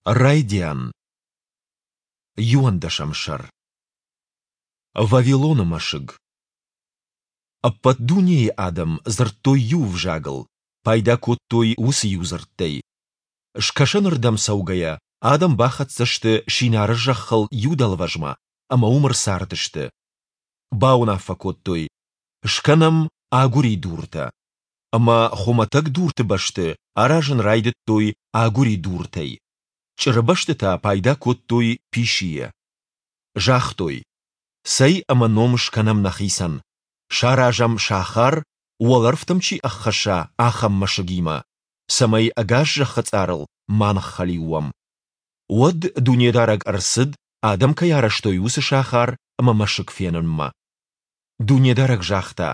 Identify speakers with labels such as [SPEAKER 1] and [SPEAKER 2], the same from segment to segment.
[SPEAKER 1] Райдиан. Иуӕндӕсӕм сӕр. Вавилоны мӕсыг. Ӕппӕт дунейы адӕм дзырдтой иу ӕвзагыл, пайда кодтой уыцы иу дзырдтӕй. Скӕсӕнырдӕм цӕугӕйӕ, адӕм бахӕццӕ сты Синары зӕххыл иу дӕлвӕзмӕ ӕмӕ уым ӕрцардысты. Бауынаффӕ кодтой, скӕнӕм агуыридуртӕ. Ӕмӕ хуымӕтӕг дурты бӕсты аразын райдыдтой агуыридуртӕй. Чъыры бӕсты та пайда кодтой писийӕ. Загътой, цӕй ӕмӕ ном скӕнӕм нӕхицӕн, саразӕм сахар, уӕлӕрвтӕм чи ӕххӕсса, ахӕм мӕсыгимӕ, цӕмӕй ӕгас зӕххы цъарыл ма ныххӕлиу уӕм. Уӕд Дунедарӕг ӕрцыд, адӕм кӕй арӕзтой, уыцы сахар ӕмӕ мӕсыг фенынмӕ. Дунедарӕг загъта,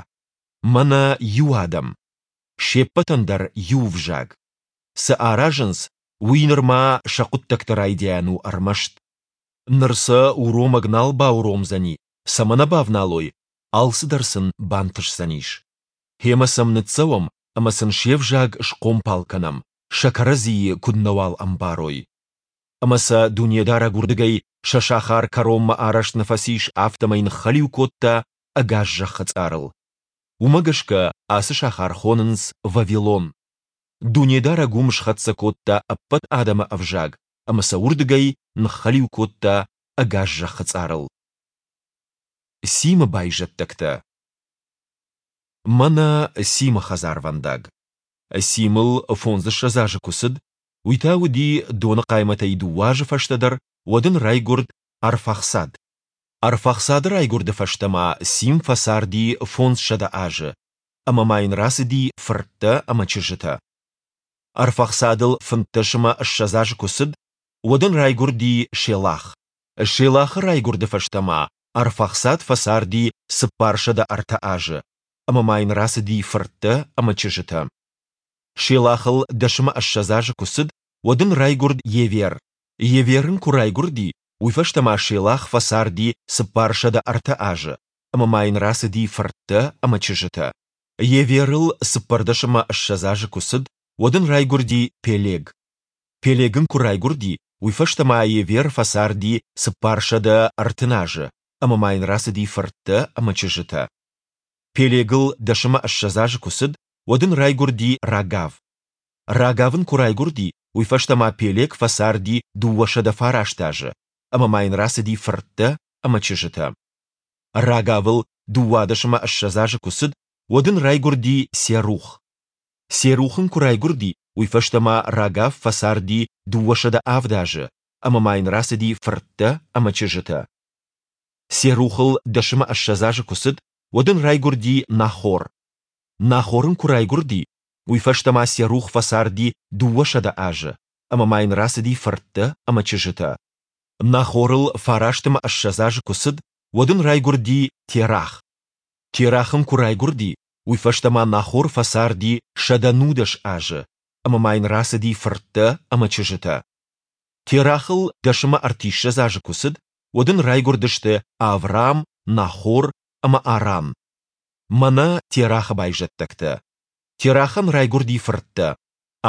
[SPEAKER 1] Мӕнӕ иу адӕм, се ппӕтӕн дӕр иу ӕвзаг. Цы аразынц, уый нырма сӕ хъуыддӕгты райдиан у ӕрмӕст. Ныр сӕ уромӕг нал бауромдзӕни, цӕмӕ нӕ бавналой, алцыдӕр сын бантысдзӕнис. Гъемӕ сӕм ныццӕуӕм ӕмӕ сын се взаг схъомпал кӕнӕм, сӕ кӕрӕдзийы куыд нӕуал ӕмбарой. Ӕмӕ сӕ Дунедарӕг уырдыгӕй сӕ сахар кӕронмӕ арӕзт нӕ фӕцис, афтӕмӕй ныххӕлиу кодта ӕгас зӕххы цъарыл. Уымӕ гӕсгӕ ацы сахар хонынц Вавилон. Дунедарӕг уым схӕццӕ кодта ӕппӕт адӕмы ӕвзаг ӕмӕ сӕ уырдыгӕй ныххӕлиу кодта ӕгас зӕххы цъарыл. Симы байзӕддӕгтӕ. Мӕнӕ Симы хӕдзарвӕндаг. Симыл фондзыссӕдз азы куы цыд, уый та уыди Доны хъаймӕтӕй дыууӕ азы фӕстӕдӕр, уӕд ын райгуырд Арфахсад. Арфахсады райгуырды фӕстӕ ма Сим фӕцарди 500 азы, ӕмӕ ма йын рацыди фырттӕ ӕмӕ чызджытӕ. Арфахсадыл 25 ӕмӕ 20 азы куы цыд, уӕд ын райгуырди Шелах. Шелахы райгуырды фӕстӕ ма Арфахсад фӕцарди 403 азы, ӕмӕ ма йын рацыди фырттӕ ӕмӕ чызджытӕ. Шелахыл дӕс ӕмӕ ссӕдз азы куы цыд, уӕд ын райгуырд Евер. Евер ын куы райгуырди, уый фӕстӕ ма Шелах фӕцарди 403 азы, ӕмӕ ма йын рацыди фырттӕ ӕмӕ чызджытӕ. Еверыл 14 ӕмӕ 20 азы куы цыд, уӕд ын райгуырди Пелег. Пелег ын куы райгуырди, уый фӕстӕ ма Евер фӕцарди 430 азы, ӕмӕ ма йын рацыди фырттӕ ӕмӕ чызджытӕ. Пелегыл дӕс ӕмӕ ссӕдз азы куы цыд, уӕд ын райгуырди Рагав. Рагав ын куы райгуырди, уый фӕстӕ ма Пелег фӕцарди 209 азы, ӕмӕ ма йын рацыди фырттӕ ӕмӕ чызджытӕ. Рагавыл 12 ӕмӕ 20 азы куы цыд, уӕд ын райгуырди Серух. Серух ын куы райгуырди, уый фӕстӕ ма Рагав фӕцарди 207 азы, ӕмӕ ма йын рацыди фырттӕ ӕмӕ чызджытӕ. Серухыл дӕс ӕмӕ ссӕдз азы куы цыд, уӕд ын райгуырди Нахор. Нахор ын куы райгуырди, уый фӕстӕ ма Серух фӕцарди 200 азы, ӕмӕ ма йын рацыди фырттӕ ӕмӕ чызджытӕ. Нахорыл фараст ӕмӕ ссӕдз азы куы цыд, уӕд ын райгуырди Терах. Терах ын куы райгуырди, уый фӕстӕ ма Нахор фӕцарди 119 азы, ӕмӕ ма йын рацыди фырттӕ ӕмӕ чызджытӕ. Терахыл дӕс ӕмӕ ӕртиссӕдз азы куы цыд, уӕд ын райгуырдысты Аврам, Нахор ӕмӕ Аран. Мӕнӕ Терахы байзӕддӕгтӕ. Терахӕн райгуырди фырттӕ: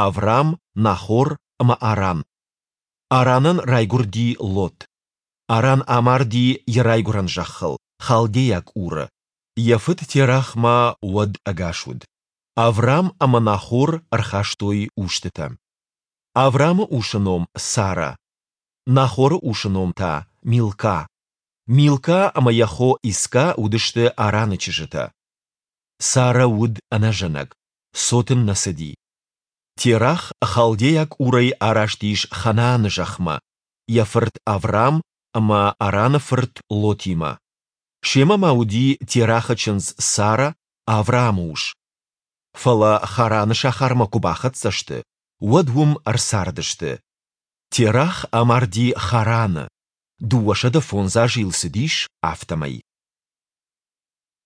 [SPEAKER 1] Аврам, Нахор ӕмӕ Аран. Аранӕн райгуырди Лот. Аран амарди йӕ райгуырӕн зӕххыл, халдейаг Уры. Йӕ фыд Терах ма уӕд ӕгас уыд. Аврам ӕмӕ Нахор ӕрхастой устытӕ. Аврамы усы ном Сара, Нахоры усы ном та Милка. Милка ӕмӕ йӕ хо Иска уыдысты Араны чызджытӕ. Сара уыд ӕнӕзӕнӕг, цот ын нӕ цыди. Терах халдейаг Урӕй араст ис Ханааны зӕхмӕ, йӕ фырт Аврам ӕмӕ Араны фырт Лотимӕ. Семӕ ма уыди Терахы чындз Сара, Авраамы ус. Фӕлӕ Хараны сахармӕ куы бахӕццӕ сты, уӕд уым ӕрцардысты. Терах амарди Хараны, 205 азы йыл цыдис, афтӕмӕй.